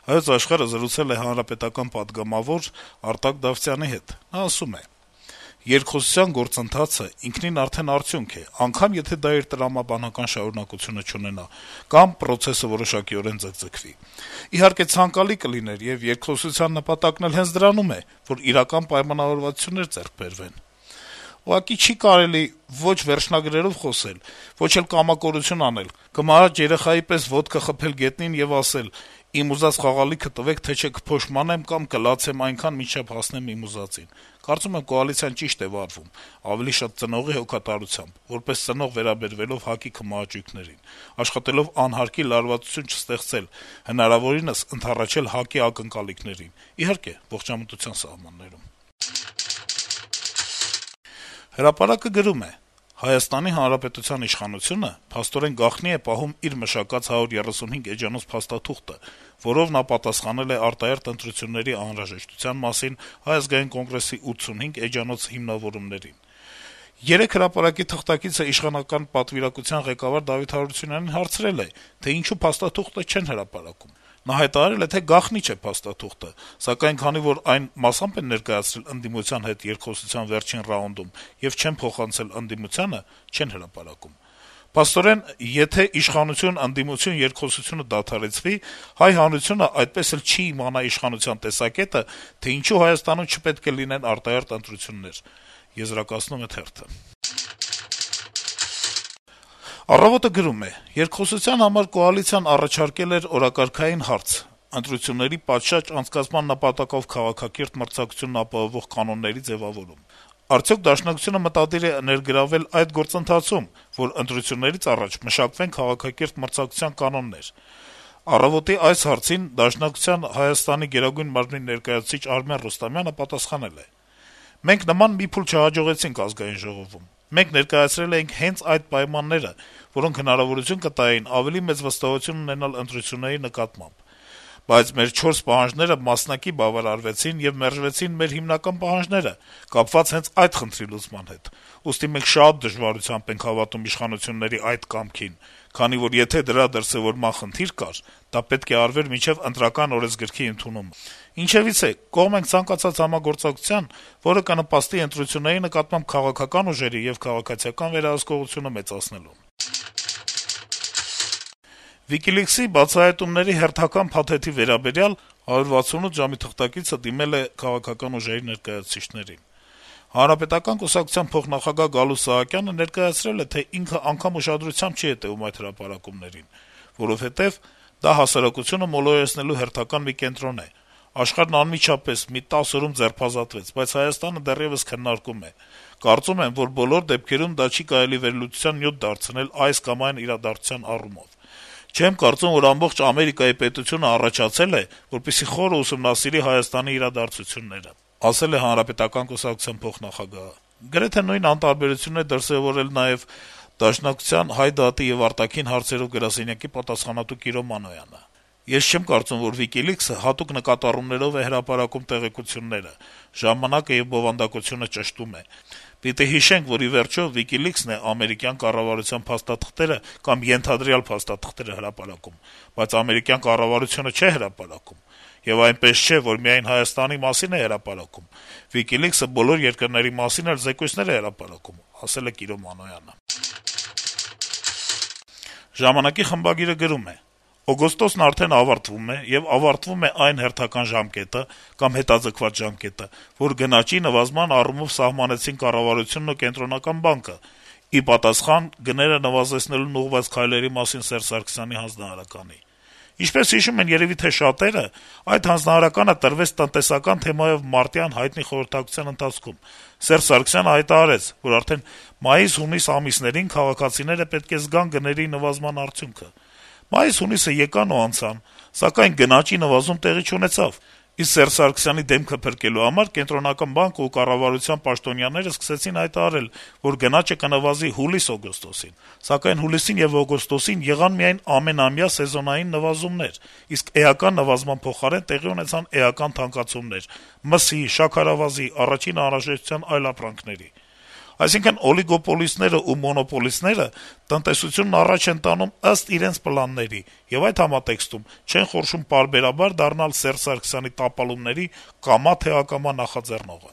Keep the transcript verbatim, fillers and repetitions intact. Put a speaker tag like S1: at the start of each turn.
S1: Հայոց Աշխարհը զրուցել է հանրապետական պատգամավոր Արտակ Դավթյանի հետ: Նա ասում է. - «Երկխոսության գործընթացը ինքնին արդեն արդյունք է, անգամ եթե դա իր տրամաբանական շարունակությունը չունենա, կամ պրոցեսը որոշակիորեն ձգձգվի: Իհարկե ցանկալի կլիներ, եւ երկխոսության նպատակն էլ հենց դրանում է, որ իրական պայմանավորվածություններ ձեռք բերվեն: Ուղղակի չի կարելի ոչ վերջնագրերով խոսել, ոչ էլ կամակորություն անել, կմահաճ երեխայի պես ոտքը խփել գետնին եւ ասել` իմ ուզած խաղալիքը տվեք, թե չէ կփոշմանեմ կամ կլացեմ այնքան, մինչեւ հասնեմ իմ ուզածին: Կարծում եմ կոալիցիան ճիշտ է վարվում, ավելի շատ ծնողի հոգատարությամբ, որպես ծնող վերաբերվելով ՀԱԿ-ի քմահաճույքներին, աշխատելով անհարկի լարվածություն չստեղծել, հնարավորինս ընդառաջել ՀԱԿ-ի ակնկալիքներին, իհարկե ողջամտության սահմաններում»: «Հրապարակ»-ը գրում է. - «Հայաստանի Հանրապետության իշխանությունը փաստորեն գաղտնի է պահում իր մշակած հարյուր երեսունհինգ էջանոց փաստաթուղթը, որով նա պատասխանել է արտահերթ ընտրությունների անհրաժեշտության մասին Հայ ազգային կոնգրեսի ութսունհինգ էջանոց հիմնավորումներին: Երեկ «Հրապարակ»-ի թղթակիցը իշխանական պատվիրակության ղեկավար Դավիթ Հարությունյանին հարցրել է, թե ինչու փաստաթուղթը չեն հրապարակում: Նա հայտարարել է, թե գաղտնի չէ փաստաթուղթը, սակայն քանի որ այն մասամբ են ներկայացրել ընդդիմության հետ երկխոսության վերջին ռաունդում եւ չեն փոխանցել ընդդիմությանը, չեն հրապարակում: Փաստորեն, եթե իշխանություն-ընդդիմություն երկխոսությունը դադարեցվի, հայ հանրությունը այդպես էլ չի իմանա իշխանության տեսակետը, թե ինչու Հայաստանում չպետք է լինեն արտահերթ ընտրություններ»: «Առավոտ»-ը գրում է. - «Երկխոսության համար կոալիցիան առաջարկել էր օրակարգային հարց` ընտրությունների պատշաճ անցկացման նպատակով քաղաքակիրթ մրցակցությունն ապահովող կանոնների ձեւավորում: Արդյո՞ք Դաշնակցությունը մտադիր է ներգրավել այդ գործընթացում, որ ընտրություններից առաջ մշակվեն քաղաքակիրթ մրցակցության կանոններ: «Առավոտ»-ի այս հարցին Դաշնակցության Հայաստանի Գերագույն մարմնի ներկայացուցիչ Արմեն Ռուստամյանը պատասխանել է. - «Մենք նման մի փուլ չհաջողեցինք Ազգային ժողովում: Մենք ներկայացրել էինք հենց այդ պայմանները, որոնք հնարավորություն կտային ավելի մեծ վստահություն ունենալ ընտրությունների նկատմամբ: Բայց մեր չորս պահանջները մասնակի բավարարվեցին եւ մերժվեցին մեր հիմնական պահանջները` կապված հենց այդ խնդրի լուծման հետ: Ուստի մենք շատ դժվարությամբ ենք հավատում իշխանությունների այդ կամքին, քանի որ եթե դրա դրսեւորման խնդիր կար, դա պետք է արվեր մինչեւ Ընտրական օրենսգրքի ընդունումը: Ինչեւիցե, կողմ ենք ցանկացած համագործակցության, որը կնպաստի ընտրությունների նկատմամբ քաղաքական ուժերի եւ քաղաքացիական վերահսկողությունը մեծացնելուն»: WikiLeaks-ի բացահայտումների հերթական փաթեթի վերաբերյալ «հարյուր վաթսունութ ժամ»-ի թղթակիցը դիմել է քաղաքական ուժերի ներկայացուցիչներին: Հանրապետական կուսակցության փոխնախագահ Գալուստ Սահակյանը ներկայացրել է, թե ինքը անգամ ուշադրությամբ չի հետեւում այդ հրապարակումներին, որովհետեւ դա հասարակությունը մոլորեցնելու հերթական մի կենտրոն է: Աշխարհն անմիջապես մի տասը օրում ձերբազատվեց, բայց Հայաստանը դեռեւս քննարկում է: Կարծում եմ, որ բոլոր դեպքերում դա չի կարելի վերլուծության նյութ դարձնել այս կամ այն իրադարձության առումով: Չեմ կարծում, որ ամբողջ Ամերիկայի պետությունը առաջացել է, որպեսզի խորը ուսումնասիրի Հայաստանի իրադարձությունները», - ասել է Հանրապետական կուսակցության փոխնախագահը: Գրեթե նույն անտարբերությունն է դրսեւորել նաեւ Դաշնակցության Հայ դատի եւ արտաքին հարցերով գրասենյակի պատասխանատու Կիրո Մանոյանը: «Ես չեմ կարծում, որ WikiLeaks-ը հատուկ նկատառումներով է հրապարակում տեղեկությունները, ժամանակը եւ բովանդակությունը ճշտում է: Պիտի հիշենք, որ ի վերջո WikiLeaks-ն է ամերիկյան կառավարության փաստաթղթերը կամ ենթադրյալ փաստաթղթերը հրապարակում, բայց ամերիկյան կառավարությունը չէ հրապարակում: Եվ այնպես չէ, որ միայն Հայաստանի մասին է հրապարակում: WikiLeaks-ը բոլոր երկրների մասին էլ զեկույցներ է հրապարակում», - ասել է Կիրո Մանոյանը: «Ժամանակ»-ի խմբագիրը գրում է. - «Օգոստոսն արդեն ավարտվում է, եւ ավարտվում է այն հերթական ժամկետը կամ հետաձգված ժամկետը, որ գնաճի նվազման առումով սահմանեցին կառավարությունն ու Կենտրոնական բանկը` ի պատասխան գները նվազեցնելուն ուղղված քայլերի մասին Սերժ Սարգսյանի հանձնարարականի: Ինչպես հիշում են երեւի թե շատերը, այդ հանձնարարականը տրվեց տնտեսական թեմայով մարտյան հայտնի խորհրդակցության ընթացքում: Սերժ Սարգսյանը հայտարարեց, որ արդեն մայիս-հունիս ամիսներին քաղաքացիները պետք է զգան գների նվազման արդյունքը: Մայիս-հունիսը եկան ու անցան, սակայն գնաճի նվազում տեղի չունեցավ: Իսկ Սերժ Սարգսյանի դեմքը փրկելու համար Կենտրոնական բանկն ու կառավարության պաշտոնյաները սկսեցին հայտարարել, որ գնաճը կնվազի հուլիս-օգոստոսին: Սակայն հուլիսին եւ օգոստոսին եղան միայն ամենամյա սեզոնային նվազումներ, իսկ էական նվազման փոխարեն տեղի ունեցան էական թանկացումներ` մսի, շաքարավազի, առաջին անհրաժեշտության այլ ապրանքների: Այսինքն օլիգոպոլիստները ու մոնոպոլիստները տնտեսությունն առաջ են տանում ըստ իրենց պլանների, եւ այդ համատեքստում չեն խորշում պարբերաբար դառնալ Սերժ Սարգսյանի տապալումների կամա թե ակամա նախաձեռնողը»: